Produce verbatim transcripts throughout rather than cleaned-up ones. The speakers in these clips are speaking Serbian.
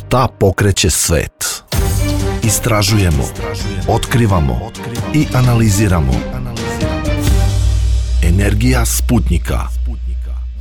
Šta pokreće svet? Istražujemo, otkrivamo i analiziramo. Energija Sputnjika.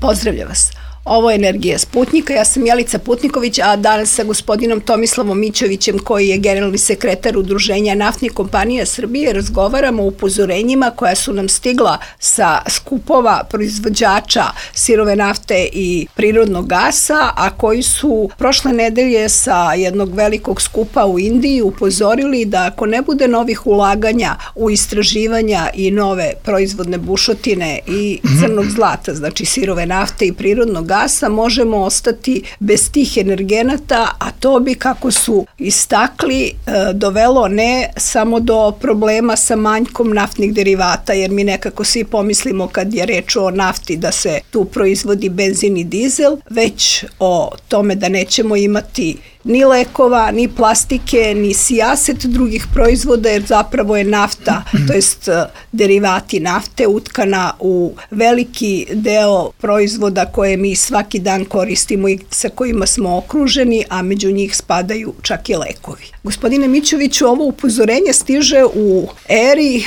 Pozdravljam vas. Ovo je Energija Sputnjika, ja sam Jelica Putniković, a danas sa gospodinom Tomislavom Mićovićem, koji je generalni sekretar Udruženja naftnih kompanija Srbije, razgovaramo o upozorenjima koja su nam stigla sa skupova proizvođača sirove nafte i prirodnog gasa, a koji su prošle nedelje sa jednog velikog skupa u Indiji upozorili da ako ne bude novih ulaganja u istraživanja i nove proizvodne bušotine i crnog zlata, znači sirove nafte i prirodnog gasa, gasa, možemo ostati bez tih energenata, a to bi, kako su istakli, dovelo ne samo do problema sa manjkom naftnih derivata, jer mi nekako svi pomislimo kad je reč o nafti da se tu proizvodi benzin i dizel, već o tome da nećemo imati ni lekova, ni plastike, ni sijaset drugih proizvoda, jer zapravo je nafta, to jest derivati nafte, utkana u veliki deo proizvoda koje mi svaki dan koristimo i sa kojima smo okruženi, a među njih spadaju čak i lekovi. Gospodine Mićoviću, ovo upozorenje stiže u eri e,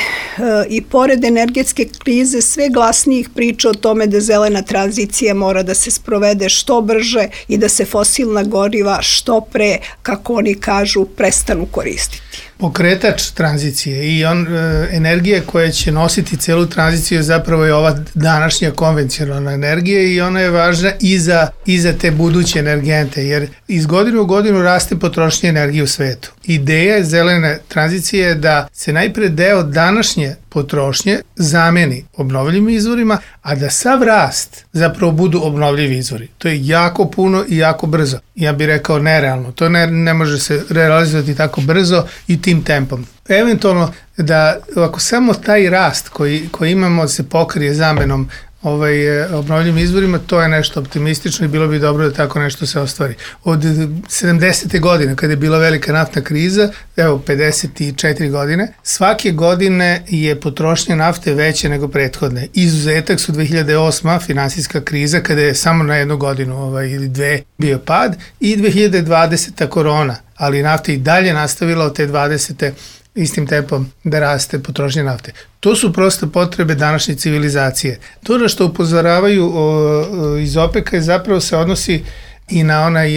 i pored energetske krize sve glasnijih priča o tome da zelena tranzicija mora da se sprovede što brže i da se fosilna goriva što pre, kako oni kažu, prestanu koristiti. Pokretač tranzicije i on, e, energija koja će nositi celu tranziciju zapravo je ova današnja konvencionalna energija i ona je važna i za, i za te buduće energente, jer iz godine u godinu raste potrošnja energije u svetu. Ideja zelene tranzicije je da se najpre deo današnje potrošnje zameni obnovljivim izvorima, a da sav rast zapravo budu obnovljivi izvori. To je jako puno i jako brzo. Ja bih rekao nerealno. To ne, ne može se realizovati tako brzo i tim tempom. Eventualno da ako samo taj rast koji, koji imamo se pokrije zamenom ovaj, obnovljivim izvorima, to je nešto optimistično i bilo bi dobro da tako nešto se ostvari. Od sedamdesete godine, kada je bila velika naftna kriza, evo pedeset četiri godine, svake godine je potrošnja nafte veća nego prethodne. Izuzetak su dve hiljade osma finansijska kriza, kada je samo na jednu godinu ovaj, ili dve bio pad, i dve hiljade dvadeseta korona, ali nafta i dalje nastavila od te dvadesete istim tempom da raste potrošnja nafte. To su prosto potrebe današnje civilizacije. To na što upozoravaju o, o, iz OPEC-a je zapravo se odnosi i na onaj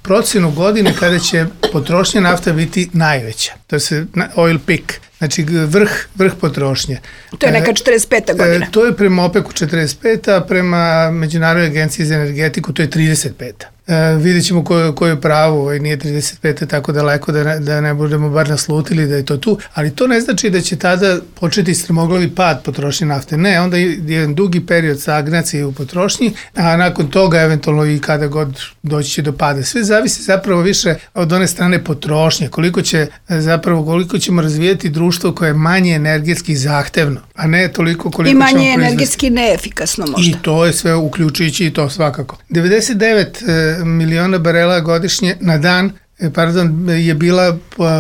procenu godine kada će potrošnja nafta biti najveća. To je oil peak, znači vrh, vrh potrošnje. To je neka četrdeset peta godina. E, to je prema OPEC-u četrdeset peta, a prema Međunarodnoj agenciji za energetiku to je trideset peta. E, vidjet ćemo ko, ko je pravo, ovaj, nije trideset peta tako daleko da ne, da ne budemo bar naslutili da je to tu, ali to ne znači da će tada početi strmoglavi pad potrošnje nafte. Ne, onda je jedan dugi period stagnacije u potrošnji, a nakon toga eventualno i kada god doći će do pada. Sve zavisi zapravo više od one strane potrošnje, koliko će zapravo koliko ćemo razvijati društvo koje je manje energetski zahtevno, a ne toliko koliko ćemo proizvesti. I manje energetski neefikasno možda. I to je sve uključujući i to svakako. devedeset devet miliona barela godišnje na dan, pardon, je bila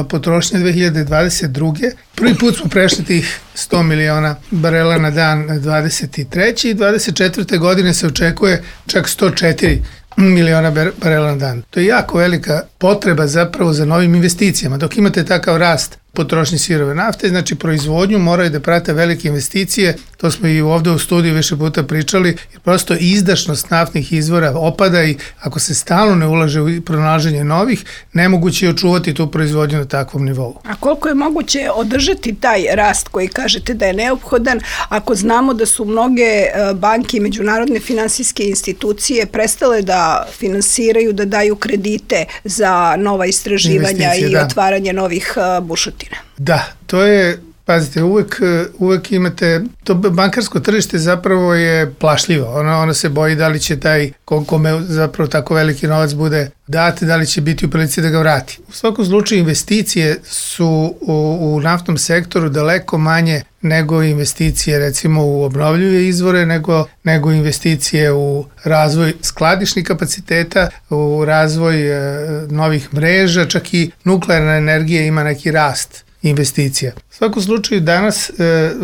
potrošnja dve hiljade dvadeset druge. Prvi put smo prešli tih sto miliona barela na dan dvadeset treće i dvadeset četvrte godine se očekuje čak sto četiri miliona barela na dan. To je jako velika potreba zapravo za novim investicijama. Dok imate takav rast potrošnje sirove nafte, znači proizvodnju moraju da prate velike investicije, to smo i ovde u studiju više puta pričali, jer prosto izdašnost naftnih izvora opada i ako se stalno ne ulaže u pronalaženje novih, nemoguće je očuvati tu proizvodnju na takvom nivou. A koliko je moguće održati taj rast koji kažete da je neophodan, ako znamo da su mnoge banke i međunarodne finansijske institucije prestale da finansiraju, da daju kredite za nova istraživanja i da. otvaranje novih bušotina? Da, to je, pazite, uvek, uvek imate, to bankarsko tržište zapravo je plašljivo, ono, ono se boji da li će taj, kome zapravo tako veliki novac bude dat, da li će biti u prilici da ga vrati. U svakom slučaju investicije su u, u naftnom sektoru daleko manje nego investicije recimo u obnovljive izvore, nego, nego investicije u razvoj skladišnih kapaciteta, u razvoj e, novih mreža, čak i nuklearna energija ima neki rast investicija. U svakom slučaju danas... Uh,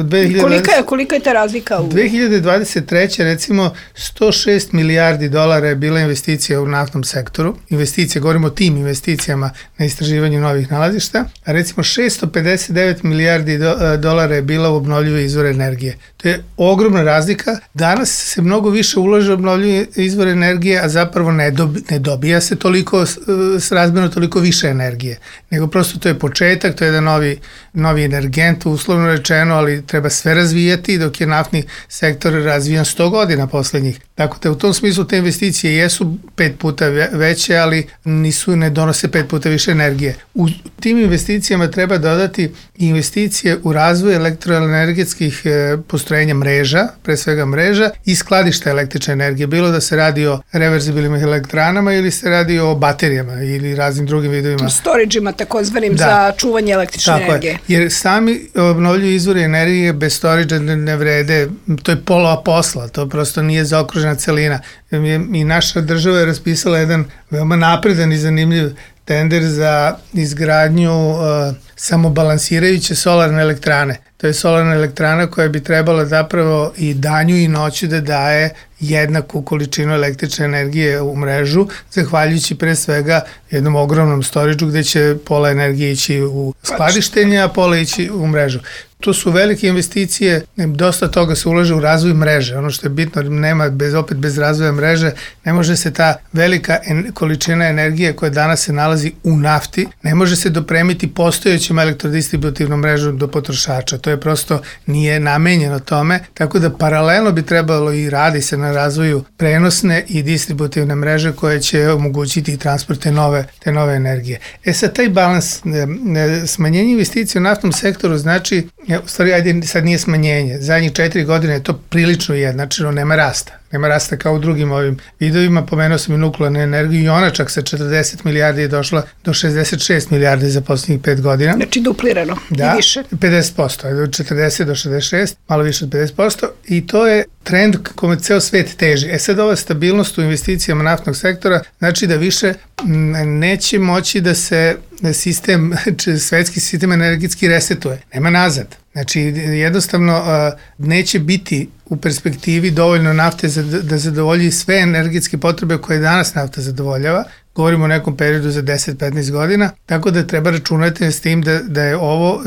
dve hiljade dvadeset... Kolika je, kolika je ta razlika? U... dve hiljade dvadeset treće recimo sto šest milijardi dolara je bila investicija u naftnom sektoru. Investicije, govorimo o tim investicijama na istraživanju novih nalazišta, a recimo šesto pedeset devet milijardi do, dolara je bila u obnovljive izvore energije. To je ogromna razlika. Danas se mnogo više ulaže u obnovljive izvore energije, a zapravo ne, dobi, ne dobija se toliko srazmjerno toliko više energije, nego prosto to je početak, to je jedan novi, novi energent, uslovno rečeno, ali treba sve razvijati, dok je naftni sektor razvijan sto godina poslednjih. Tako da u tom smislu te investicije jesu pet puta veće, ali nisu, ne donose pet puta više energije. U tim investicijama treba dodati investicije u razvoj elektroenergetskih postrojenja mreža, pre svega mreža i skladišta električne energije, bilo da se radi o reverzibilnim elektranama ili se radi o baterijama ili raznim drugim vidovima. Storage-ima takozvanim da. Za čuvanje električne Tako energije. Je. Jer sami obnovljivi izvori energije bez storage ne, ne vrede, to je pola posla, to prosto nije zaokružena celina. I naša država je raspisala jedan veoma napredan i zanimljiv tender za izgradnju uh, samobalansirajuće solarne elektrane. To je solarna elektrana koja bi trebala zapravo i danju i noću da daje jednaku količinu električne energije u mrežu, zahvaljujući pre svega jednom ogromnom storage-u gde će pola energije ići u skladištenje, a pola ići u mrežu. To su velike investicije, dosta toga se ulaže u razvoj mreže. Ono što je bitno, nema bez, opet bez razvoja mreže, ne može se ta velika en, količina energije koja danas se nalazi u nafti, ne može se dopremiti postojećom elektrodistributivnom mrežom do potrošača. To je prosto nije namenjeno tome, tako da paralelno bi trebalo i radi se na razvoju prenosne i distributivne mreže koje će omogućiti i transport te nove, te nove energije. E sad, taj balans, smanjenje investicije u naftnom sektoru znači, u stvari, ajde, sad nije smanjenje. Zadnjih četiri godine je to prilično jednačino, nema rasta. Nema rasta kao u drugim ovim vidovima, pomenuo sam i nuklearnu energiju i ona čak sa četrdeset milijardi je došla do šezdeset šest milijardi za poslednjih pet godina. Znači duplirano da, i više. pedeset posto, od četrdeset do šezdeset šest, malo više od pedeset posto i to je trend kome ceo svet teži. E sad ova stabilnost u investicijama naftnog sektora znači da više neće moći da se sistem, svetski sistem energetski resetuje. Nema nazad. Znači, jednostavno neće biti u perspektivi dovoljno nafte za, da zadovolji sve energetske potrebe koje danas nafta zadovoljava. Govorimo o nekom periodu za deset do petnaest godina, tako da treba računati s tim da, da je ovo,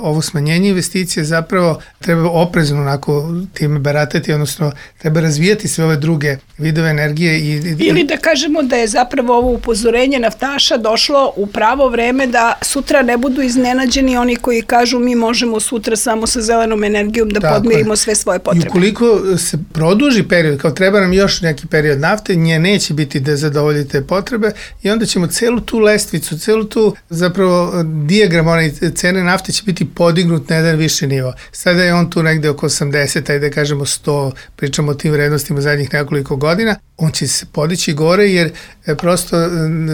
ovo smanjenje investicije zapravo treba oprezno onako time baratati, odnosno treba razvijati sve ove druge vidove energije. I, i, Ili da kažemo da je zapravo ovo upozorenje naftaša došlo u pravo vreme da sutra ne budu iznenađeni oni koji kažu mi možemo sutra samo sa zelenom energijom da tako podmirimo je. Sve svoje potrebe. I ukoliko se produži period, kao treba nam još neki period nafte, nje neće biti da zadovoljite potrebe, i onda ćemo celu tu lestvicu, celu tu zapravo dijagram one cene nafte će biti podignut na jedan viši nivo. Sada je on tu negde oko osamdeset, ajde da kažemo sto, pričamo o tim vrednostima zadnjih nekoliko godina, on će se podići gore jer prosto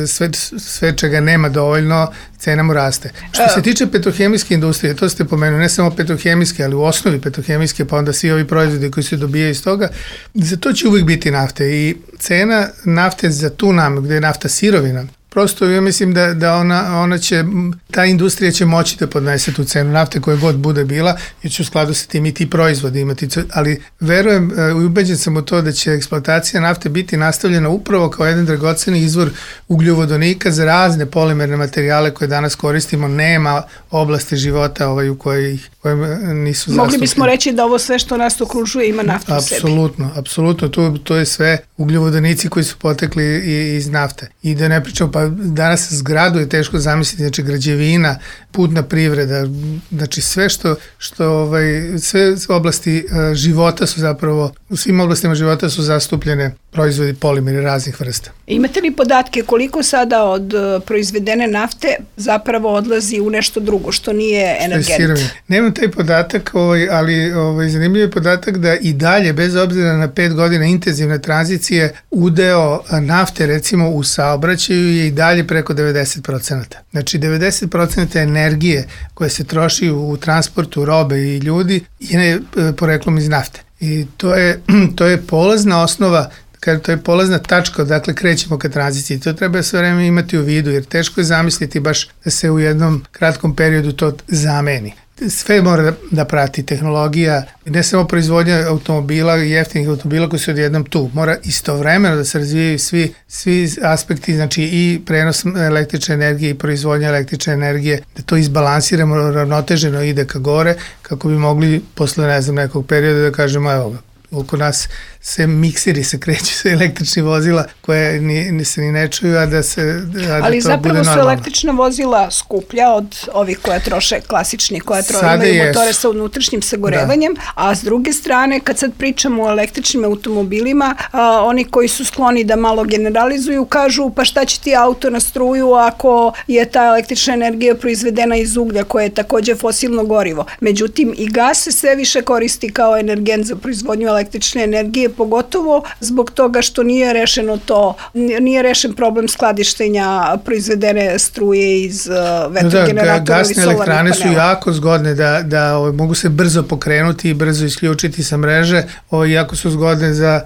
sve, sve čega nema dovoljno, cena mu raste. Što se tiče petrohemijske industrije, to ste pomenuli, ne samo petrohemijske, ali u osnovi petrohemijske, pa onda svi ovi proizvodi koji se dobijaju iz toga, za to će uvijek biti nafte i cena nafte za tu namenu, gde je nafta sirovina, prosto ja mislim da, da ona, ona će, ta industrija će moći da podnese tu cenu nafte koja god bude bila, jer će u skladu sa tim i ti proizvodi imati, ali verujem i ubeđen sam u to da će eksploatacija nafte biti nastavljena upravo kao jedan dragoceni izvor ugljovodonika za razne polimerne materijale koje danas koristimo, nema oblasti života ovaj, u kojoj koje nisu zastupljene. Mogli bismo reći da ovo sve što nas okružuje ima naftu u sebi. Apsolutno, apsolutno, to, to je sve ugljovodonici koji su potekli iz nafte. I da ne pričamo, pa danas zgradu je teško zamisliti, znači građevina, putna privreda, znači sve što, što ovaj, sve oblasti života su zapravo, u svim oblastima života su zastupljene proizvodi polimeri raznih vrsta. Imate li podatke koliko sada od proizvedene nafte zapravo odlazi u nešto drugo, što nije energent? Nemam taj podatak, ovaj, ali ovaj, zanimljiv je podatak da i dalje, bez obzira na pet godina intenzivne tranzicije, udeo nafte recimo u saobraćaju je i dalje preko devedeset procenata. Znači devedeset procenata energije koje se troši u transportu robe i ljudi je poreklom iz nafte. I to je, to je polazna osnova kada to je polazna tačka, dakle krećemo ka tranziciji. To treba sve vreme imati u vidu, jer teško je zamisliti baš da se u jednom kratkom periodu to zameni. Sve mora da, da prati tehnologija, ne samo proizvodnja automobila, jeftinih automobila koji su odjednom tu. Mora istovremeno da se razvijaju svi, svi aspekti, znači i prenos električne energije i proizvodnja električne energije, da to izbalansiramo, ravnoteženo ide ka gore, kako bi mogli posle, ne znam, nekog perioda da kažemo, evo ga, oko nas se mikseri se kreću sa električnih vozila koje ni, ni se ni ne čuju, a da se a da ali to zapravo bude su normalno. električna vozila skuplja od ovih koja troše klasični, koja troše imaju motore sa unutrašnjim sagorevanjem, da. A s druge strane, kad sad pričamo o električnim automobilima, a, oni koji su skloni da malo generalizuju, kažu pa šta će ti auto na struju ako je ta električna energija proizvedena iz uglja koje je takođe fosilno gorivo. Međutim, i gas se sve više koristi kao energent za proizvodnju električne energije, pogotovo zbog toga što nije rešeno to, nije rešen problem skladištenja proizvedene struje iz uh, vetrogeneratora. Da, gasne elektrane su jako zgodne da, da o, mogu se brzo pokrenuti i brzo isključiti sa mreže, o, jako su zgodne za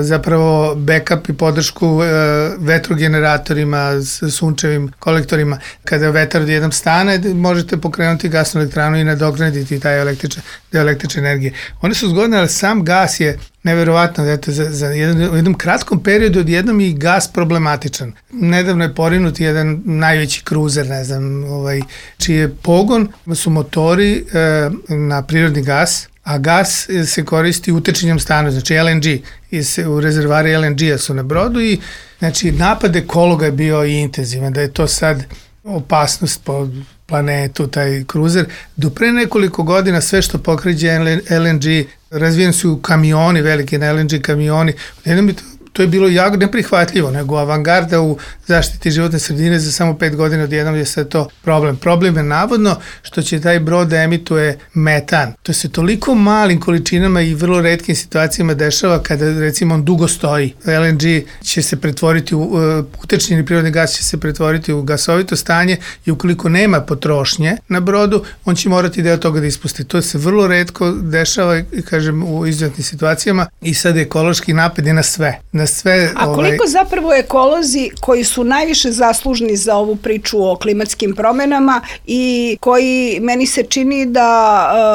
zapravo backup i podršku vetrogeneratorima, sunčevim kolektorima. Kada vetar odjednom stane, možete pokrenuti gasnu elektranu i nadoknaditi taj električne, električne energije. One su zgodne, ali sam gas je neverovatno, eto, za, za jedan, u jednom kratkom periodu odjednom i gas problematičan. Nedavno je porinut jedan najveći kruzer, ne znam, ovaj, čiji je pogon su motori e, na prirodni gas, a gas se koristi utečenjem stanu, znači L N G, i se, u rezervari L N G-a su na brodu i znači napad ekologa je bio i intenzivan, da je to sad opasnost po planetu, taj kruzer. Do pre nekoliko godina sve što pokreće L N G, razvijeni su kamioni, veliki na L N G kamioni, jednom bi to To je bilo jako neprihvatljivo, nego avangarda u zaštiti životne sredine za samo pet godina odjednom je sve to problem. Problem je navodno što će taj brod da emituje metan. To se toliko malim količinama i vrlo retkim situacijama dešava kada recimo on dugo stoji. L N G će se pretvoriti u, utečnjeni prirodni gas će se pretvoriti u gasovito stanje i ukoliko nema potrošnje na brodu, on će morati deo toga da ispusti. To se vrlo retko dešava, kažem, u izuzetnim situacijama i sad ekološki napad je na sve. Na sve, A koliko ovaj... zapravo ekolozi koji su najviše zaslužni za ovu priču o klimatskim promenama i koji meni se čini da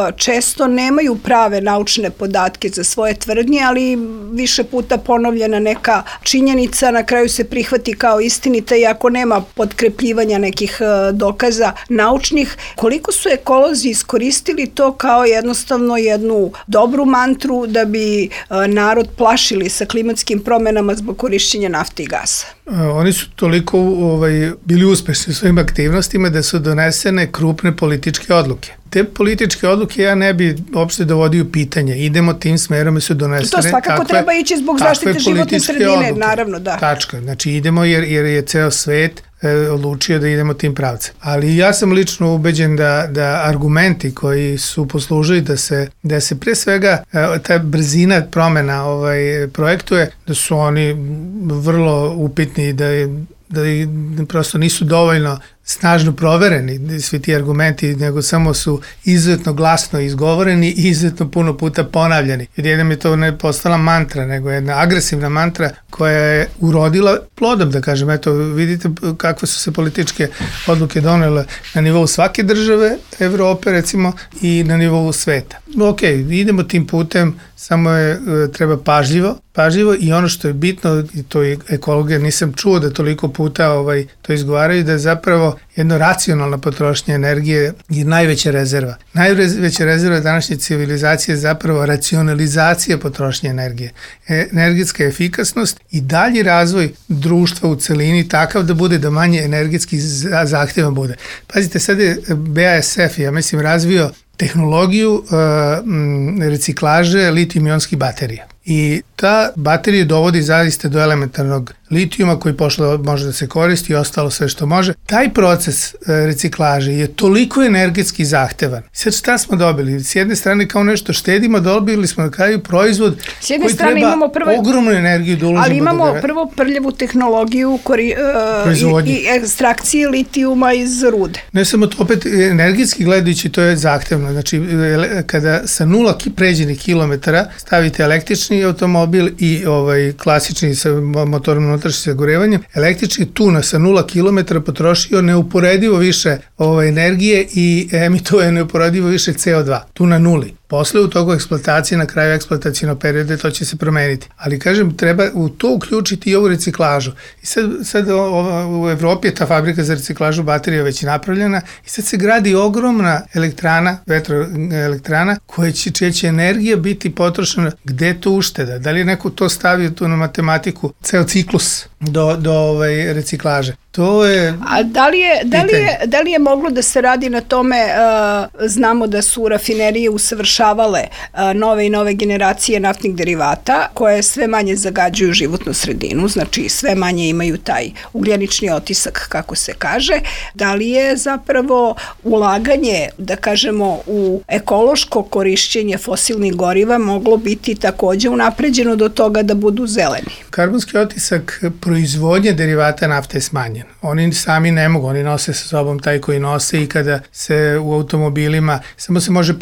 uh, često nemaju prave naučne podatke za svoje tvrdnje, ali više puta ponovljena neka činjenica na kraju se prihvati kao istinita i ako nema potkrepljivanja nekih uh, dokaza naučnih, koliko su ekolozi iskoristili to kao jednostavno jednu dobru mantru da bi uh, narod plašili sa klimatskim promenama promenama zbog korišćenja nafte i gasa? Oni su toliko ovaj, bili uspešni u svojim aktivnostima da su donesene krupne političke odluke. Te političke odluke ja ne bi uopšte dovodio u pitanje. Idemo tim smerom i su donesene. To svakako takve, treba ići zbog zaštite životne sredine, odluke. Naravno, da. Tačka. Znači idemo jer, jer je ceo svet e, odlučio da idemo tim pravcem. Ali ja sam lično ubeđen da, da argumenti koji su poslužili da se, da se pre svega e, ta brzina promena ovaj, projektuje, da su oni vrlo upitni, da je da prosto nisu dovoljno snažno provereni svi ti argumenti, nego samo su izuzetno glasno izgovoreni i izuzetno puno puta ponavljani. Jer jedan je to ne postala mantra, nego jedna agresivna mantra koja je urodila plodom, da kažem. Eto, vidite kakve su se političke odluke donele na nivou svake države, Evrope recimo, i na nivou sveta. Ok, idemo tim putem, samo je treba pažljivo, pažljivo i ono što je bitno, i to je ekologija, nisam čuo da toliko puta ovaj, to izgovaraju, da je zapravo jedna racionalna potrošnja energije je najveća rezerva. Najveća rezerva današnje civilizacije je zapravo racionalizacija potrošnje energije. Energetska efikasnost i dalji razvoj društva u celini takav da bude da manje energetski zahtjevan bude. Pazite, sad je B A S F, ja mislim, razvio tehnologiju uh, reciklaže litijum-ionskih baterija. I ta baterija dovodi zaista do elementarnog litijuma koji pošlo može da se koristi i ostalo sve što može. Taj proces reciklaže je toliko energetski zahtevan. Sad šta smo dobili? S jedne strane kao nešto štedimo, dobili smo na kraju proizvod koji treba imamo prvo, ogromnu energiju da uložimo. Ali imamo da prvo prljavu tehnologiju kori, uh, i, i ekstrakcije litijuma iz rude. Ne samo to, opet energetski gledajući to je zahtevno. Znači kada sa nula pređenih kilometara stavite električni automobil automobil i ovaj klasični sa motorom unutrašnjim sagorevanjem, električni tu sa nula kilometara potrošio neuporedivo više ovaj, energije i emituje neuporedivo više C O dva, tu na nuli. Posle u toku eksploatacije, na kraju eksploatacijnog perioda, to će se promeniti. Ali kažem, treba u to uključiti i ovu reciklažu. I sad, sad o, u Evropi je ta fabrika za reciklažu baterija već napravljena i sad se gradi ogromna elektrana, vetroelektrana, koja će, čija će energija biti potrošena. Gde je to ušteda? Da li je neko to stavio tu na matematiku, ceo ciklus do, do ovaj, reciklaže? To je A da li je, da li je, da li je moglo da se radi na tome, uh, znamo da su rafinerije usavršavale uh, nove i nove generacije naftnih derivata koje sve manje zagađuju životnu sredinu, znači sve manje imaju taj ugljenični otisak, kako se kaže. Da li je zapravo ulaganje, da kažemo, u ekološko korišćenje fosilnih goriva moglo biti takođe unapređeno do toga da budu zeleni? Karbonski otisak proizvodnje derivata nafte je smanjen. Oni sami ne mogu, oni nose sa sobom taj koji nose i kada se u automobilima, samo se može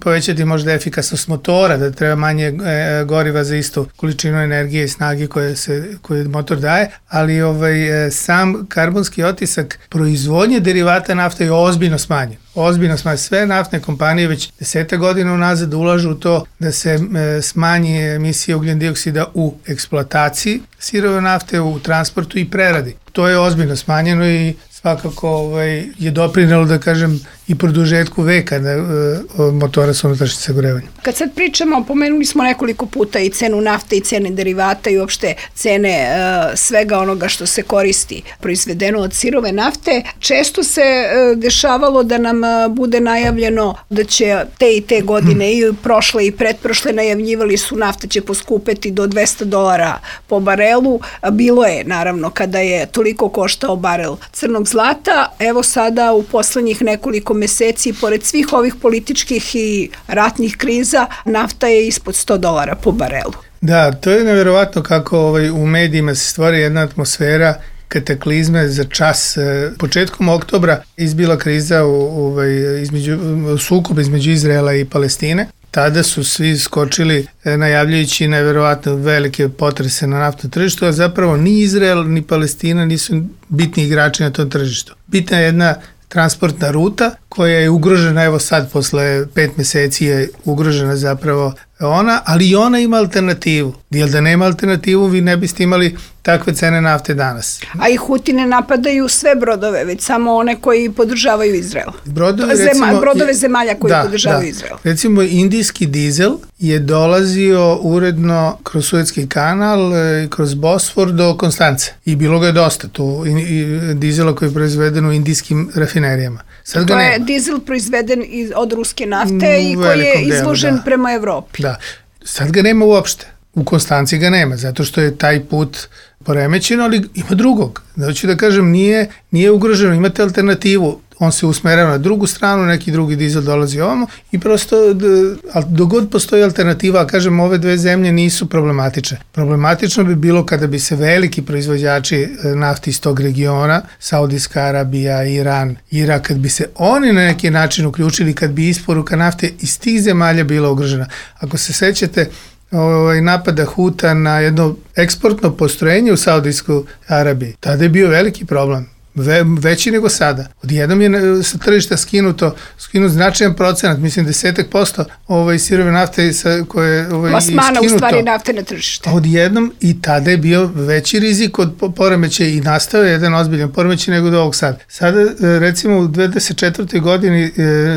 povećati možda efikasnost motora, da treba manje e, goriva za istu količinu energije i snage koje, se, koje motor daje, ali ovaj, e, sam karbonski otisak proizvodnje derivata nafte je ozbiljno smanjen. Ozbiljno smanjen. Sve naftne kompanije već deseta godina unazad ulažu u to da se e, smanji emisija ugljen dioksida u eksploataciji sirove nafte, u transportu i preradi. To je ozbiljno smanjeno i svakako ovaj, je doprinelo, da kažem, i produžetku veka na, uh, motora sa unutrašnjim sagorevanjem. Kad sad pričamo, pomenuli smo nekoliko puta i cenu nafte i cene derivata i uopšte cene uh, svega onoga što se koristi proizvedeno od sirove nafte, često se uh, dešavalo da nam uh, bude najavljeno da će te i te godine i prošle i pretprošle najavljivali su nafta će poskupeti do dvesta dolara po barelu. Bilo je, naravno, kada je toliko koštao barel crnog zlata. Evo sada u poslednjih nekoliko meseci, pored svih ovih političkih i ratnih kriza, nafta je ispod sto dolara po barelu. Da, to je neverovatno kako ovaj, u medijima se stvori jedna atmosfera kataklizme za čas. Početkom oktobra izbila kriza u, ovaj, između, sukob između Izraela i Palestine. Tada su svi skočili najavljajući neverovatno velike potrese na naftnom tržištu, a zapravo ni Izrael ni Palestina nisu bitni igrači na tom tržištu. Bitna je jedna transportna ruta koja je ugrožena, evo sad posle pet meseci je ugrožena zapravo ona, ali i ona ima alternativu. Jer da nema alternativu vi ne biste imali takve cene nafte danas. A i Huti ne napadaju sve brodove, već samo one koji podržavaju Izrael. Brodovi, Zema, recimo, brodove zemalja koji da, podržavaju da. Izrael. Recimo indijski dizel je dolazio uredno kroz Suetski kanal i kroz Bosfor do Konstance. I bilo ga je dosta tu i, i dizela koji je proizveden u indijskim rafinerijama. Sad to ga je nema. dizel proizveden iz, od ruske nafte U i koji je delu, izložen da. prema Evropi. Da. Sad ga nema uopšte. U Konstanci ga nema, zato što je taj put poremećen, ali ima drugog. Znači da kažem, nije, nije ugroženo, imate alternativu. On se usmerava na drugu stranu, neki drugi dizel dolazi ovamo i prosto, dogod postoji alternativa, a kažem, ove dve zemlje nisu problematične. Problematično bi bilo kada bi se veliki proizvođači nafti iz tog regiona, Saudijska Arabija, Iran, Irak, kad bi se oni na neki način uključili, kad bi isporuka nafte iz tih zemalja bila ugrožena. Ako se sećate, ovaj, napada Huta na jedno eksportno postrojenje u Saudijskoj Arabiji, tada je bio veliki problem. Ve, veći nego sada. Odjednom je sa tržišta skinuto, skinuto značajan procenat, mislim desetak posto ovaj, sirove nafte sa, koje ovaj, plasmana u stvari nafte na tržište. Odjednom i tada je bio veći rizik od poremećaja i nastao je jedan ozbiljan poremećaj nego do ovog sada. Sada recimo u dve hiljade dvadeset četvrtoj godini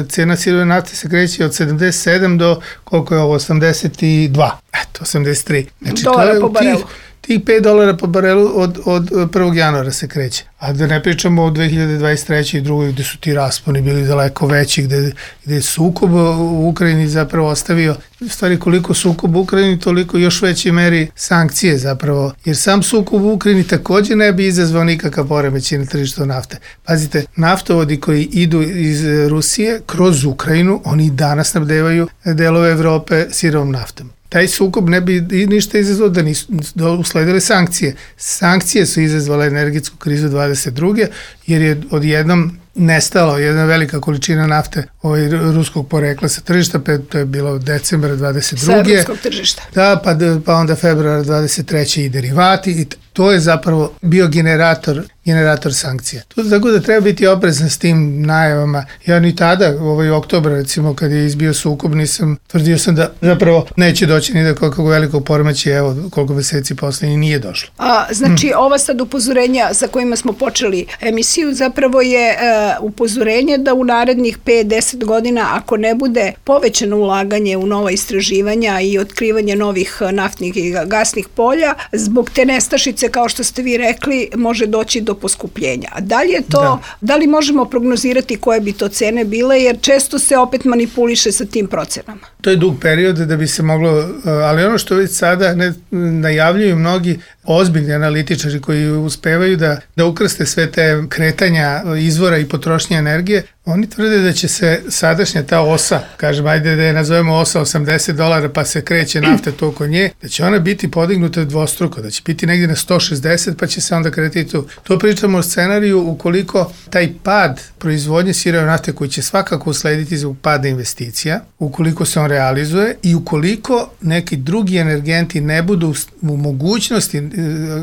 cena sirove nafte se kreće od sedamdeset sedam do koliko je ovo, osamdeset dva. Eto, osamdeset tri. Znači, dolara to je po barelu. Tih, tih pet dolara po barelu od, od prvog januara se kreće. A da ne pričamo o dve hiljade dvadeset trećoj i drugoj gde su ti rasponi bili daleko veći, gde, gde je sukob u Ukrajini zapravo ostavio, u stvari koliko sukob u Ukrajini, toliko još veći meri sankcije zapravo, jer sam sukob u Ukrajini takođe ne bi izazvao nikakav poremećaj na tržištu nafte. Pazite, naftovodi koji idu iz Rusije kroz Ukrajinu, oni danas snabdevaju delove Evrope sirovom naftom. Taj sukob ne bi ništa izazvao da nisu da usledile sankcije. Sankcije su izazvale energetsku krizu dvadeset druge jer je odjednom nestalo jedna velika količina nafte ovaj, ruskog porekla sa tržišta, to je bilo decembra dvadeset druge. Sa evropskog tržišta. Da, pa, pa onda februara dvadeset treće i derivati i to je zapravo bio generator, generator sankcija. To, tako da treba biti oprezan s tim najavama. Ja ni tada, ovaj oktobar recimo, kad je izbio sukob, nisam, tvrdio sam da zapravo neće doći ni do kakvog velikog poremećaja, evo koliko meseci posle i nije došlo. A, znači, hmm. ova sad upozorenja sa kojima smo počeli emisiju zapravo je e, upozorenje da u narednih pet do deset godina, ako ne bude povećano ulaganje u nova istraživanja i otkrivanje novih naftnih i gasnih polja, zbog te nestašice, kao što ste vi rekli, može doći do poskupljenja. A da li je to, da. da li možemo prognozirati koje bi to cene bile, jer često se opet manipuliše sa tim procenama? To je dug period da bi se moglo, ali ono što već sada ne, najavljuju mnogi ozbiljni analitičari koji uspevaju da, da ukrste sve te kretanja izvora i potrošnje energije, oni tvrde da će se sadašnja ta osa, kažem, ajde da je nazovemo osa osamdeset dolara pa se kreće nafta to oko nje, da će ona biti podignuta dvostruko, da će biti negdje na sto šezdeset pa će se onda kretiti tu. To pričamo o scenariju ukoliko taj pad proizvodnje sirove nafte koji će svakako uslediti zbog pada investicija, ukoliko se on realizuje i ukoliko neki drugi energenti ne budu u mogućnosti,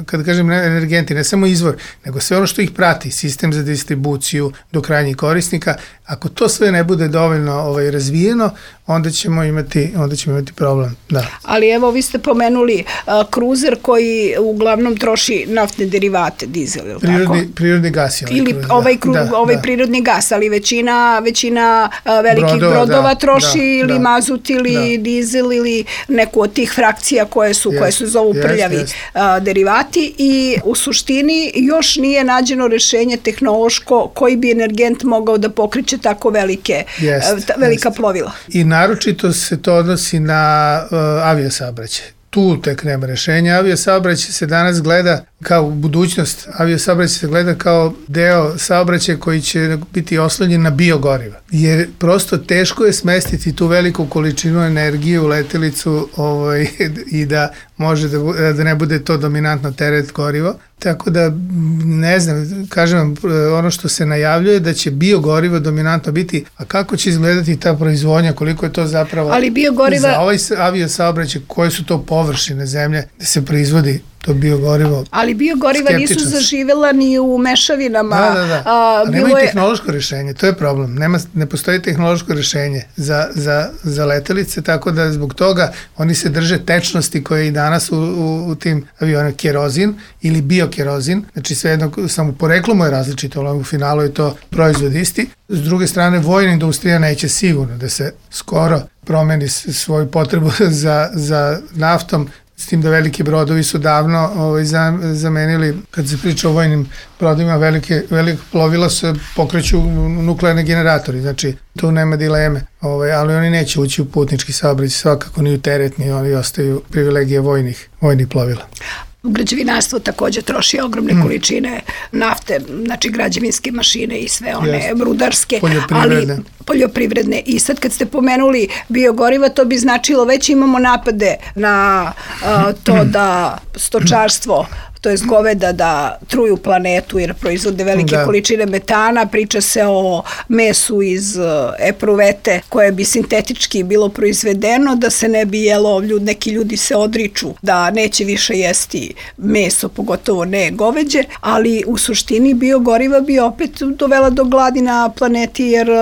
kada kažem energenti, ne samo izvor, nego sve ono što ih prati, sistem za distribuciju do krajnjih korisnika, ako to sve ne bude dovoljno ovaj, razvijeno, onda ćemo imati, onda ćemo imati problem. Da. Ali evo, vi ste pomenuli uh, kruzer koji uglavnom troši naftne derivate, dizel, ili prirodni, tako? Prirodni gas je ovaj ili kruzer. ovaj, kru, da, ovaj da. prirodni gas, ali većina, većina uh, velikih brodova, brodova da, troši da, ili da, mazut ili da. dizel ili neku od tih frakcija koje su, Jest, koje su zovu jest, prljavi jest. Uh, derivati i u suštini još nije nađeno rešenje tehnološko koji bi energent mogao da pokriče tako velike, Jest, uh, ta, velika jest. plovila. I naročito se to odnosi na uh, aviosaobraćaj. Tu tek nema rešenja. Aviosaobraćaj se danas gleda kao budućnost. Aviosaobraćaj se gleda kao deo saobraćaja koji će biti oslonjen na biogoriva. Jer prosto teško je smestiti tu veliku količinu energije u letelicu ovaj, i da može da, da ne bude to dominantno teret gorivo. Tako da, ne znam, kažem vam, ono što se najavljuje da će biogorivo dominantno biti, a kako će izgledati ta proizvodnja, koliko je to zapravo Ali biogoriva... za ovaj aviosaobraćaj, koje su to površine zemlje da se proizvodi to biogorivo. Ali biogoriva nisu zaživela ni u mešavinama. Da, da, da. A, a nema i tehnološko rješenje, to je problem. Nema, ne postoji tehnološko rješenje za, za, za letelice, tako da zbog toga oni se drže tečnosti koje i danas u, u, u tim avionima, kerozin ili biokerozin, znači sve jedno, samo poreklo mu je različito, ali u finalu je to proizvod isti. S druge strane, vojna industrija neće sigurno da se skoro promeni svoju potrebu za, za naftom, s tim da veliki brodovi su davno ovaj, zamenili, kad se priča o vojnim brodovima, velike, velike plovila se pokreću nuklearni generatori, znači tu nema dileme, ovaj, ali oni neće ući u putnički saobraćaj, svakako ni u teretni, oni ostaju privilegije vojnih, vojnih plovila. Građevinarstvo takođe troši ogromne mm. količine nafte, znači građevinske mašine i sve one yes. rudarske, poljoprivredne. ali poljoprivredne. I sad kad ste pomenuli biogoriva, to bi značilo već imamo napade na uh, to da stočarstvo, to je goveda, da truju planetu jer proizvode velike da. količine metana, priča se o mesu iz uh, epruvete koje bi sintetički bilo proizvedeno, da se ne bi jelo, ljud, neki ljudi se odriču da neće više jesti meso, pogotovo ne goveđe, ali u suštini biogoriva bi opet dovela do gladi na planeti jer uh,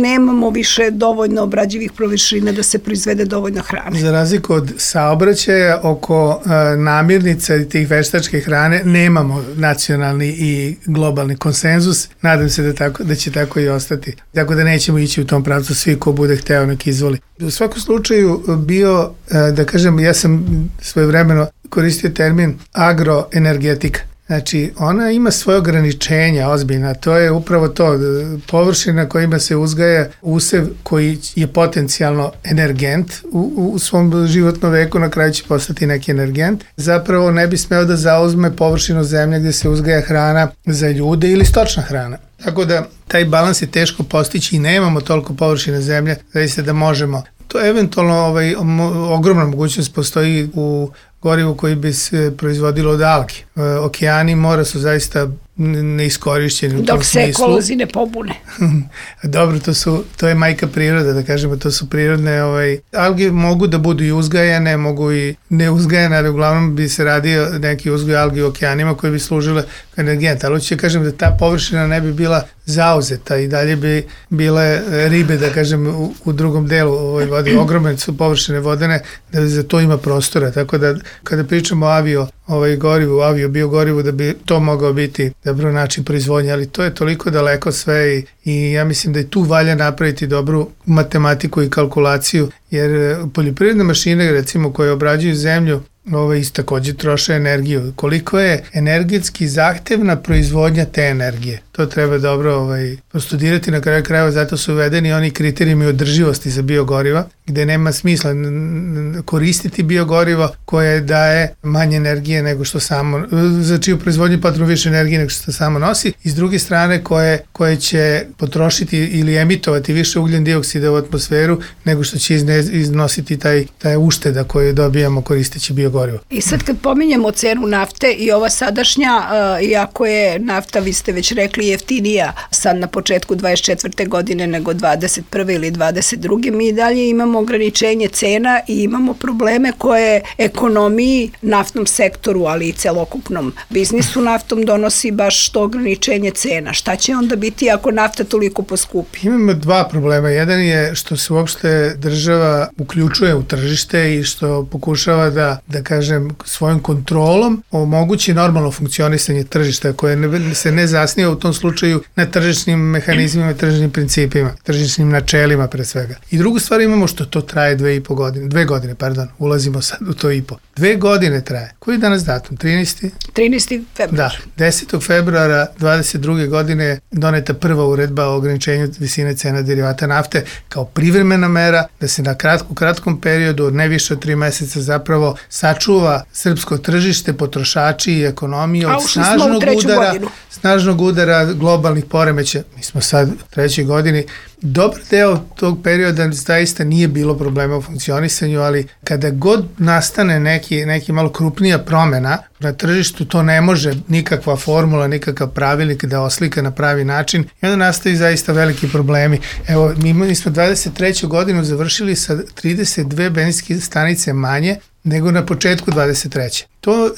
nemamo više dovoljno obrađivih površina da se proizvede dovoljno hrane. Za razliku od saobraćaja oko uh, namirnica i tih veštačkih hrane nemamo nacionalni i globalni konsenzus. Nadam se da, tako, da će tako i ostati. Tako da nećemo ići u tom pravcu, svi ko bude hteo nek izvoli. U svakom slučaju bio, da kažem, ja sam svojevremeno koristio termin agroenergetika. Znači, ona ima svoje ograničenja ozbiljna, to je upravo to, površina kojima se uzgaja usev koji je potencijalno energent u, u svom životnom veku, na kraju će postati neki energent, zapravo ne bi smeo da zauzme površinu zemlje gdje se uzgaja hrana za ljude ili stočna hrana. Tako da taj balans je teško postići i nemamo toliko površine zemlje, zaista da možemo. To eventualno ovaj, ogromna mogućnost postoji u gorivu koji bi se proizvodilo od algi. E, okeani i mora su zaista neiskorišćeni u tom Dok se smislu. ekolozi ne pobune. Dobro, to, su, to je majka priroda, da kažemo, to su prirodne, ovaj, alge mogu da budu i uzgajane, mogu i neuzgajane, ali uglavnom bi se radio neki uzgoj algi u okeanima koji bi služile kao energent, ali hoću kažem da ta površina ne bi bila zauzeta i dalje bi bile ribe, da kažem, u, u drugom delu ovoj vodi, ogromne su površine vodene, da za to ima prostora, tako da kada pričamo o avio ovaj gorivu, avio biogorivu, da bi to mogao biti dobro način proizvodnje, ali to je toliko daleko sve i, i ja mislim da i tu valja napraviti dobru matematiku i kalkulaciju, jer poljoprivredne mašine, recimo, koje obrađuju zemlju, Ove isto takođe troše energiju. Koliko je energetski zahtevna proizvodnja te energije? To treba dobro ovaj, postudirati na kraju krajeva, zato su uvedeni oni kriterijumi održivosti za biogoriva, gde nema smisla koristiti biogorivo koje daje manje energije nego što samo, za čiju proizvodnju potrebno više energije nego što samo nosi, i s druge strane koje, koje će potrošiti ili emitovati više ugljen dioksida u atmosferu nego što će izne, iznositi taj, taj ušteda koju dobijamo koristeći biogorivo. I sad kad pominjemo cenu nafte i ova sadašnja, uh, iako je nafta, vi ste već rekli, jeftinija sad na početku dvadeset četvrte godine nego dvadeset prve ili dvadeset druge mi i dalje imamo ograničenje cena i imamo probleme koje ekonomiji, naftnom sektoru, ali i celokupnom biznisu naftom donosi baš to ograničenje cena. Šta će onda biti ako nafta toliko poskupi? Imamo dva problema. Jedan je što se uopšte država uključuje u tržište i što pokušava da, da kažem, svojom kontrolom omogući normalno funkcionisanje tržišta koje ne, se ne zasniva u tom slučaju na tržišnim mehanizmima, tržišnim principima, tržišnim načelima pre svega. I drugu stvar imamo što to traje dve i po godine, dve godine, pardon, ulazimo sad u to i po. Dve godine traje. Koji je danas datum? trinaesti trinaesti februar. Da, desetog februara dvadeset druge godine doneta prva uredba o ograničenju visine cena derivata nafte kao privremena mera da se na kratku, kratkom periodu od ne više od tri meseca zapravo sačuva srpsko tržište, potrošači i ekonomija od snažnog udara, godinu. snažnog udara globalnih poremeća. Mi smo sad u trećoj godini. Dobar deo tog perioda zaista nije bilo problema u funkcionisanju, ali kada god nastane neki, neki malo krupnija promena na tržištu, to ne može nikakva formula, nikakav pravilnik da oslika na pravi način i onda nastaju zaista veliki problemi. Evo, mi, mi smo dvadeset treću godinu završili sa trideset dve benzinske stanice manje nego na početku dvadeset treće To,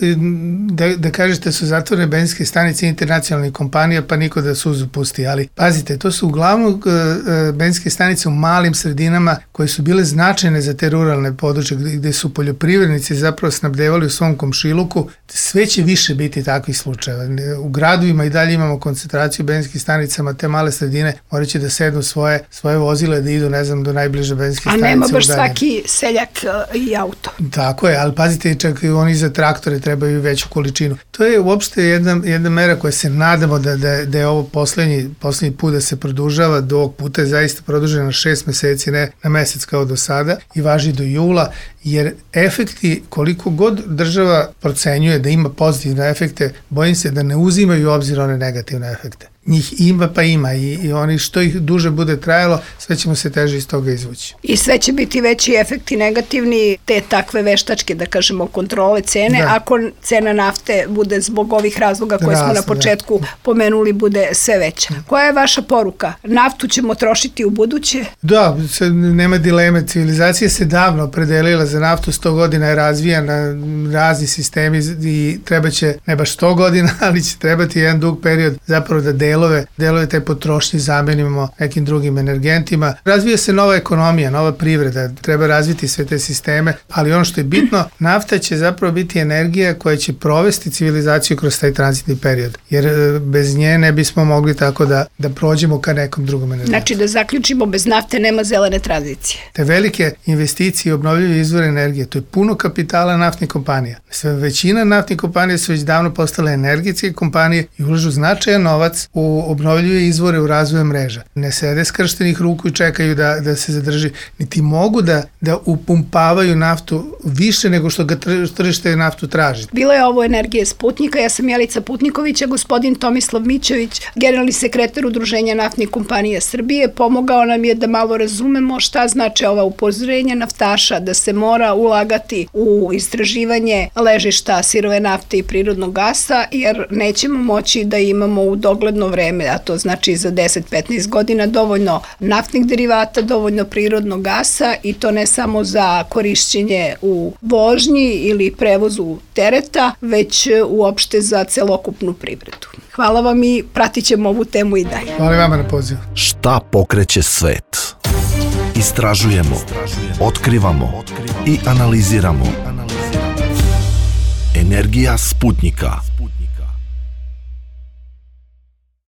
da, da kažete, su zatvorene benzinske stanice internacionalnih kompanija, pa niko da suzu pusti, ali pazite, to su uglavnom uh, benzinske stanice u malim sredinama koje su bile značajne za te ruralne područje gde, gde su poljoprivrednici zapravo snabdevali u svom komšiluku. Sve će više biti takvih slučajeva. U gradovima i dalje imamo koncentraciju benzinskih stanicama, te male sredine morat će da sednu svoje, svoje vozile da idu, ne znam, do najbliže benzinske stanice. A nema baš svaki seljak uh, i auto. Tako je, ali pazite, čak i oni za traktore trebaju veću količinu. To je uopšte jedna, jedna mera koja se nadamo da, da, da je ovo poslednji, poslednji put da se produžava, do ovog puta je zaista produžena na šest meseci, ne na mesec kao do sada i važi do jula, jer efekti, koliko god država procenjuje da ima pozitivne efekte, bojim se da ne uzimaju u obzir one negativne efekte. Njih ima pa ima i, i oni što ih duže bude trajalo, sve ćemo se teže iz toga izvući. I sve će biti veći efekti negativni, te takve veštačke, da kažemo, kontrole cene, da. Ako cena nafte bude zbog ovih razloga koje Rasno, smo na početku da. pomenuli, bude sve veća. Koja je vaša poruka? Naftu ćemo trošiti u buduće? Da, nema dileme. Civilizacija se davno opredelila za naftu, sto godina je razvijana, razni sistemi i treba će, ne baš sto godina, ali će trebati jedan dug period zapravo da delove, delove te potrošnje zamenimo nekim drugim energentima. Razvija se nova ekonomija, nova privreda, treba razviti sve te sisteme, ali ono što je bitno, nafta će zapravo biti energija koja će provesti civilizaciju kroz taj tranzitni period, jer bez nje ne bismo mogli tako da, da prođemo ka nekom drugom energentu. Znači da zaključimo, bez nafte nema zelene tranzicije. Te velike investicije i obnovljive izvore energije, to je puno kapitala naftnih kompanija. Sve većina naftnih kompanija su već davno postale energetske kompanije i ulažu značajan novac u u obnovljive izvore u razvoju mreža. Ne sede skrštenih ruku i čekaju da, da se zadrži, niti mogu da, da upumpavaju naftu više nego što ga tržište naftu traži. Bila je ovo Energija Sputnika, ja sam Jelica Putniković, a gospodin Tomislav Mićović, generalni sekretar Udruženja naftnih kompanija Srbije, pomogao nam je da malo razumemo šta znači ova upozorenja naftaša, da se mora ulagati u istraživanje ležišta sirove nafte i prirodnog gasa, jer nećemo moći da imamo u dogledno vreme, a to znači za deset do petnaest godina, dovoljno naftnih derivata, dovoljno prirodnog gasa, i to ne samo za korišćenje u vožnji ili prevozu tereta, već uopšte za celokupnu privredu. Hvala vam i pratit ćemo ovu temu i dalje. Hvala vama na pozivu. Šta pokreće svet? Istražujemo, otkrivamo i analiziramo. Energija Sputnika.